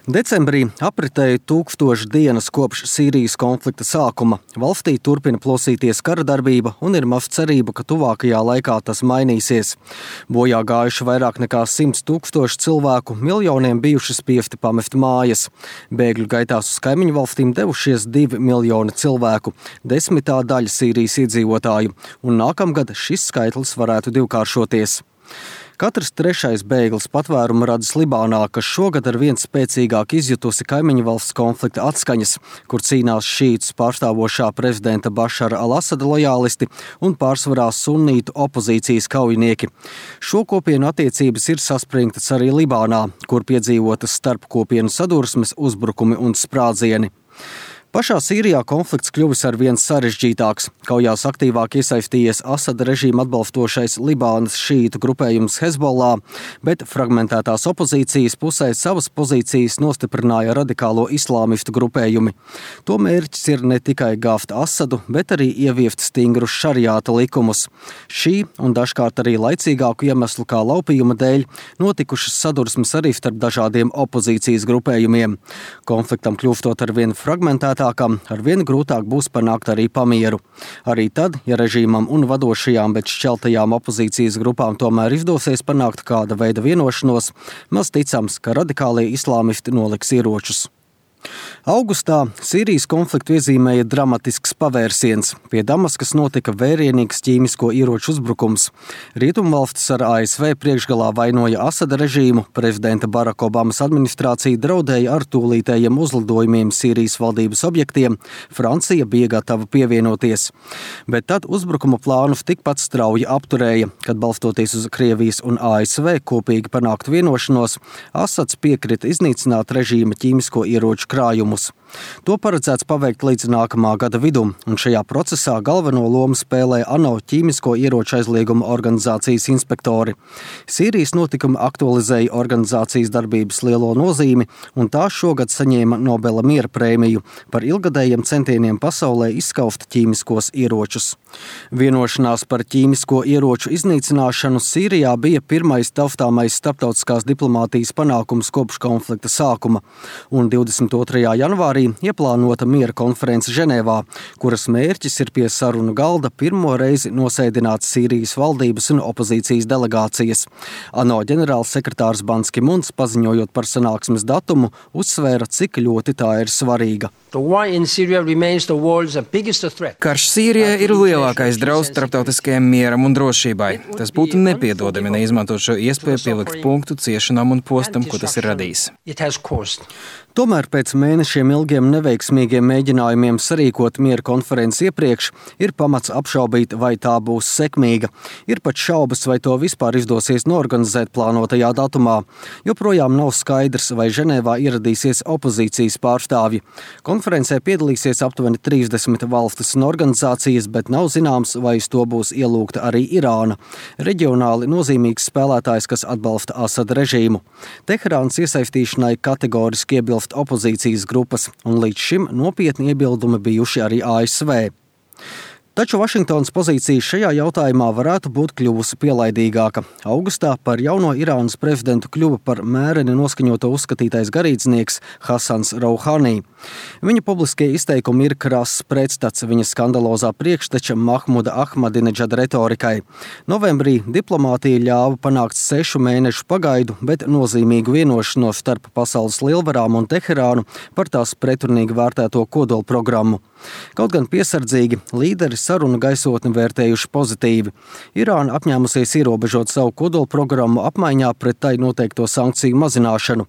Decembrī apritēja 1000 dienas kopš Sīrijas konflikta sākuma. Valstī turpina plosīties kara darbība un ir maz cerība, ka tuvākajā laikā tas mainīsies. Bojā gājuši vairāk nekā 100 000 cilvēku, miljoniem bijuši spiesti pamest mājas. Bēgļu gaitās uz kaimiņu valstīm devušies 2 miljoni cilvēku, 10. daļa Sīrijas iedzīvotāju, un nākamgad šis skaitlis varētu divkāršoties. Katrs 3. bēglis patvērumu radis Libānā, kas šogad ar vien spēcīgāk izjutusi kaimiņu valsts konflikta atskaņas, kur cīnās šītus pārstāvošā prezidenta Bašara al-Asada lojālisti un pārsvarā sunnītu opozīcijas kaujinieki. Šo kopienu attiecības ir saspringtas arī Libānā, kur piedzīvotas starpkopienu sadursmes, uzbrukumi un sprādzieni. Pašā Sīrijā konflikts kļuvis ar vien sarežģītāks. Kaujās aktīvāk iesaistījies Asada režīma atbalstošais Libānas šīitu grupējums Hezbollah, bet fragmentētās opozīcijas pusē savas pozīcijas nostiprināja radikālo islāmistu grupējumi. To mērķis ir ne tikai gāzt Asadu, bet arī ieviest stingrus šariāta likumus. Šī un dažkārt arī laicīgāku iemeslu kā laupījuma dēļ notikušas sadursmes arī starp dažādiem opozīcijas grupējumiem. Konfliktam kļūstot ar vien fragmentētākam, ar vien grūtāk būs panākt arī pamieru. Arī tad, ja režīmam un vadošajām, bet šķeltajām opozīcijas grupām tomēr izdosies panākt kāda veida vienošanos, maz ticams, ka radikālie islāmisti noliks ieročus. Augustā Sīrijas konfliktu iezīmēja dramatisks pavērsiens. Pie Damaskas notika vērienīgs ķīmisko ieroču uzbrukums. Rietumvalstis ar ASV priekšgalā vainoja Asada režīmu, prezidenta Baraka Obamas administrācija draudēja ar tūlītējiem uzlidojumiem Sīrijas valdības objektiem, Francija bija gatava pievienoties. Bet tad uzbrukuma plānus tikpat strauji apturēja, kad balstoties uz Krievijas un ASV kopīgi panākt vienošanos, Asads piekrita iznīcināt režīma ķīmisko ieroču krājumus. To paredzēts paveikt līdz nākamā gada vidum, un šajā procesā galveno lomu spēlē ANO ķīmisko ieroču aizlieguma organizācijas inspektori. Sīrijas notikumi aktualizēja organizācijas darbības lielo nozīmi, un tā šogad saņēma Nobela miera prēmiju par ilgadējiem centieniem pasaulē izskaust ķīmiskos ieročus. Vienošanās par ķīmisko ieroču iznīcināšanu Sīrijā bija pirmais taustāmais starptautiskās diplomātijas panākums kopš konflikta sākuma, un 22. janvārī ieplānota miera konference Ženēvā, kuras mērķis ir pie sarunu galda pirmo reizi nosēdināt Sīrijas valdības un opozīcijas delegācijas. ANO ģenerālsekretārs Ban Ki-muns, paziņojot par sanāksmes datumu, uzsvēra, cik ļoti tā ir svarīga. Karš Sīrijā ir lielākais draudz starptautiskajam mieram un drošībai. Tas būtu nepiedodami neizmantot šo iespēju pielikt punktu ciešanām un postam, ko tas ir radījis. Tomēr pēc mēnešiem ilgiem neveiksmīgiem mēģinājumiem sarīkot miera konferenci iepriekš, ir pamats apšaubīt, vai tā būs sekmīga. Ir pat šaubas, vai to vispār izdosies norganizēt plānotajā datumā. Joprojām nav skaidrs, vai Ženēvā ieradīsies opozīcijas pārstāvji. Konferencē piedalīsies aptuveni 30 valstis un organizācijas, bet nav zināms, vai uz to būs ielūgta arī Irāna, reģionāli nozīmīgs spēlētājs, kas atbalsta Asada režīmu. Teherānas iesaistīšanai kategoriski iebilst opozīcijas grupas, un līdz šim nopietni iebildumi bijuši arī ASV. Taču Vašingtonas pozīcija šajā jautājumā varētu būt kļuvusi pielaidīgāka. Augustā par jauno Irānas prezidentu kļuva par mēreni noskaņoto uzskatītais garīdznieks Hasans Rouhani. Viņa publiskie izteikumi ir krass pretstats viņa skandalozā priekšteča Mahmuda Ahmadineģada retorikai. Novembrī diplomātija ļāva panākt 6 mēnešu pagaidu, bet nozīmīgu vienošanos starp pasaules lielvarām un Teherānu par tās pretrunīgi vērtēto kodolprogrammu. Kaut gan piesardzīgi, līderi sarunu gaisotni vērtējuši pozitīvi. Irāna apņēmusies ierobežot savu kodolprogrammu apmaiņā pret tai noteikto sankciju mazināšanu.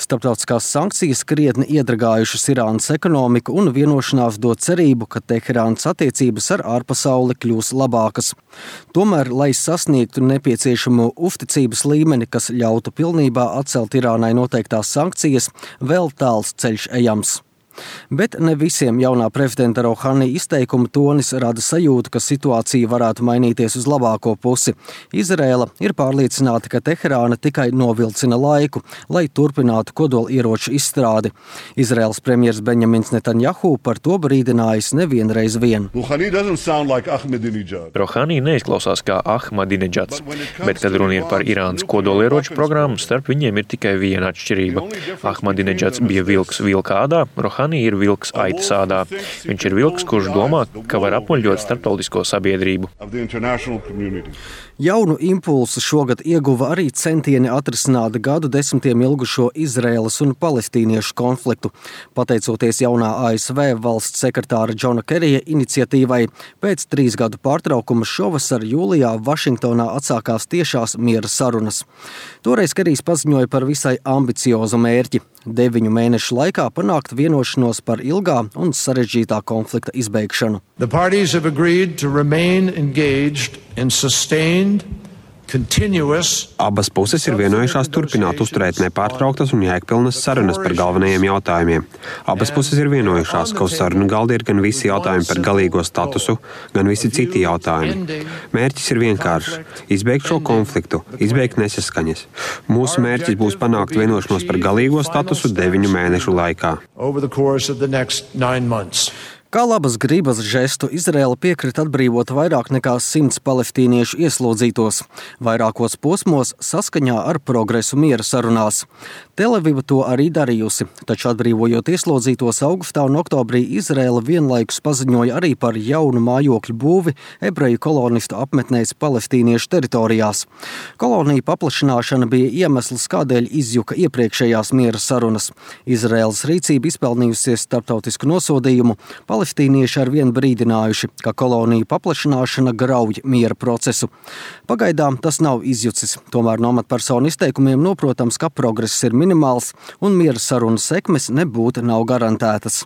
Starptautiskās sankcijas krietni iedragājušas Irānas ekonomiku, un vienošanās dod cerību, ka Teherānas attiecības ar ārpasauli kļūs labākas. Tomēr, lai sasniegtu nepieciešamo uzticības līmeni, kas ļautu pilnībā atcelt Irānai noteiktās sankcijas, vēl tāls ceļš ejams. Bet ne visiem jaunā prezidenta Rouhani izteikuma tonis rada sajūtu, ka situācija varētu mainīties uz labāko pusi. Izraela ir pārliecināta, ka Teherāna tikai novilcina laiku, lai turpinātu kodolieroču izstrādi. Izraels premjers Benjamins Netanjahu par to brīdinājis nevienreiz vien. Rouhani neizklausās kā Ahmadinedžads, bet, kad runa ir par Irānas kodolieroču programmu, starp viņiem ir tikai viena atšķirība. Ahmadinedžads bija vilks vilka ādā, Rouhani ir vilks aitas ādā. Viņš ir vilks, kurš domā, ka var apmuļļot starptautisko sabiedrību. Jaunu impulsu šogad ieguva arī centieni atrisināt gadu desmitiem ilgušo Izraēlas un palestīniešu konfliktu. Pateicoties jaunā ASV valsts sekretāra Džona Kerija iniciatīvai, pēc 3 gadu pārtraukuma šovasar jūlijā Vašingtonā atsākās tiešās miera sarunas. Toreiz Kerijs paziņoja par visai ambiciozu mērķi – 9 mēnešu laikā panākt vienošanos par ilgā un sarežģītā konflikta izbeigšanu. The parties have agreed to remain engaged in sustained, continuous. Abas puses ir vienojušās turpināt uzturēt nepārtrauktas un jēgpilnas sarunas par galvenajiem jautājumiem. Abas puses ir vienojušās, ka uz sarunu galda ir gan visi jautājumi par galīgo statusu, gan visi citi jautājumi. Mērķis ir vienkāršs – izbeigt šo konfliktu, izbeigt nesaskaņas. Mūsu mērķis būs panākt vienošanos par galīgo statusu 9 mēnešu laikā. Kā labas gribas žestu Izraela piekrita atbrīvot vairāk nekā 100 palestīniešu ieslodzītos, vairākos posmos saskaņā ar progresu miera sarunās. Tel-Aviva to arī darījusi, taču atbrīvojot ieslodzītos augustā un oktobrī, Izraela vienlaikus paziņoja arī par jaunu mājokļu būvi ebreju kolonistu apmetnēs palestīniešu teritorijās. Koloniju paplašināšana bija iemesls, kādēļ izjuka iepriekšējās miera sarunas. Izraēlas rīcība izpelnījusies starptautisku nosodījumu. Palestīnieši arvien brīdinājuši, ka koloniju paplašināšana grauj miera procesu. Pagaidām tas nav izjucis, tomēr no amatpersonu izteikumiem noprotams, ka progress ir minimāls un miera sarunu sekmes nebūtu nav garantētas.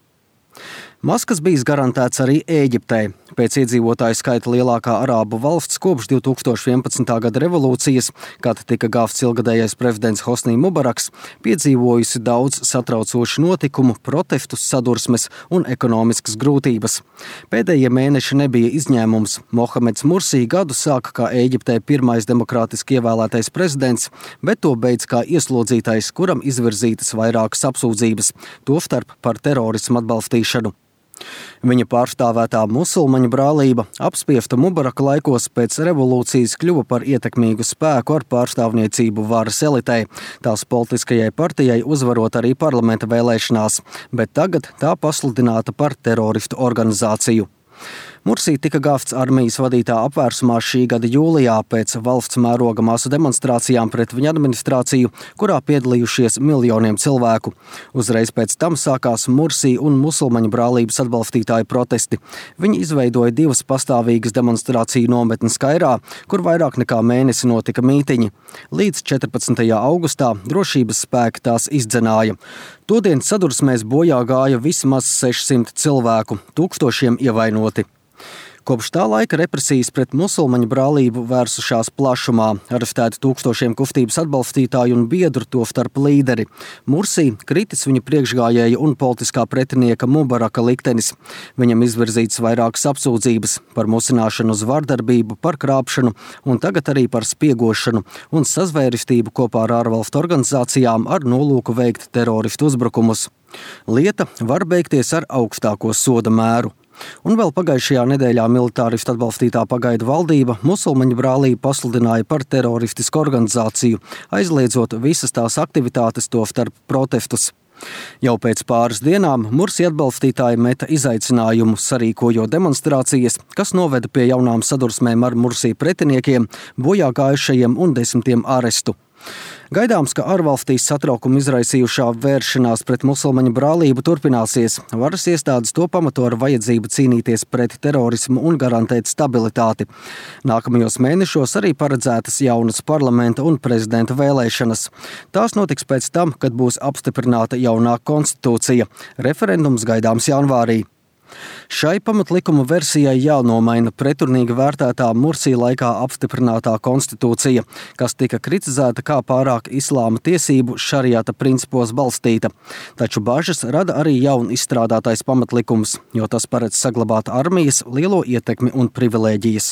Maskas bijis garantēts arī Ēģiptei. Pēc iedzīvotāju skaita lielākā arābu valsts kopš 2011. gada revolūcijas, kad tika gāvts ilgadējais prezidents Hosnī Mubaraks, piedzīvojusi daudz satraucošu notikumu, protestus, sadursmes un ekonomiskas grūtības. Pēdējie mēneši nebija izņēmums. Mohameds Mursī gadu sāka kā Ēģiptei pirmais demokrātiski ievēlētais prezidents, bet to beidz kā ieslodzītais, kuram izvirzītas vairākas apsūdzības, tostarp par terorismu atbalstīšanu. Viņa pārstāvētā musulmaņu brālība apspiesta Mubaraka laikos pēc revolūcijas kļuva par ietekmīgu spēku ar pārstāvniecību varas elitei, tās politiskajai partijai uzvarot arī parlamenta vēlēšanās, bet tagad tā pasludināta par teroristu organizāciju. Mursī tika gāvts armijas vadītā apvērsumā šī gada jūlijā pēc valsts mēroga masu demonstrācijām pret viņa administrāciju, kurā piedalījušies miljoniem cilvēku. Uzreiz pēc tam sākās Mursī un musulmaņu brālības atbalstītāju protesti. Viņi izveidoja 2 pastāvīgas demonstrāciju nometnes Kairā, kur vairāk nekā mēnesi notika mītiņi. Līdz 14. augustā drošības spēki tās izdzenāja. Todienas sadursmēs bojā gāja vismaz 600 cilvēku, tūkstošiem ievainoti. Kopš tā laika represijas pret musulmaņu brālību vērsušās plašumā, arestēti tūkstošiem kustības atbalstītāju un biedru, tostarp līderi. Mursī kritis viņa priekšgājēja un politiskā pretinieka Mubaraka liktenis. Viņam izvirzītas vairākas apsūdzības par musināšanu uz vardarbību, par krāpšanu un tagad arī par spiegošanu un sazvērestību kopā ar ārvalstu organizācijām ar nolūku veikt teroristu uzbrukumus. Lieta var beigties ar augstāko soda mēru. Un vēl pagājušajā nedēļā militāristu atbalstītā pagaidu valdība musulmaņu brālību pasludināja par teroristisku organizāciju, aizliedzot visas tās aktivitātes, tostarp protestus. Jau pēc pāris dienām Mursī atbalstītāji meta izaicinājumu, sarīkojot demonstrācijas, kas noveda pie jaunām sadursmēm ar Mursī pretiniekiem, bojā gājušajiem un 10 arestu. Gaidāms, ka ārvalstīs satraukumu izraisījušā vēršanās pret musulmaņu brālību turpināsies. Varas iestādes to pamato ar vajadzību cīnīties pret terorismu un garantēt stabilitāti. Nākamajos mēnešos arī paredzētas jaunas parlamenta un prezidenta vēlēšanas. Tās notiks pēc tam, kad būs apstiprināta jaunā konstitūcija. Referendums gaidāms janvārī. Šai pamatlikuma versijai jānomaina pretrunīgi vērtētā Mursī laikā apstiprinātā konstitūcija, kas tika kritizēta kā pārāk islāma tiesību šariāta principos balstīta. Taču bažas rada arī jaun izstrādātais pamatlikums, jo tas paredz saglabāt armijas lielo ietekmi un privilēģijas.